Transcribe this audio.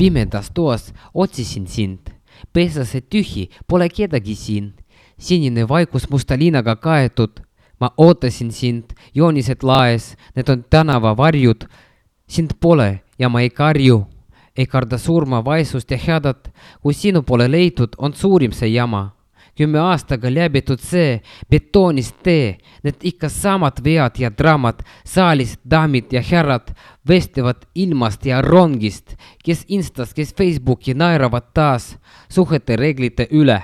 Pimedas toas otsisin sind. Pesase tühi, pole kedagi siin. Sinine vaikus musta liinaga kaetud. Ma ootasin sind, joonised laes, need on tänava varjud. Sind pole ja ma ei karju. Ei karda surma, vaesust ja hädat. Kui sinu pole leitud, on suurim see jama. 10 aastaga läbitud see betoonist tee. Need ikka samad vead ja draamad. Saalis daamid ja härrad vestlevad ilmast ja rongist. Kes Instas, kes Facebooki naeravad taas suhete reeglite üle.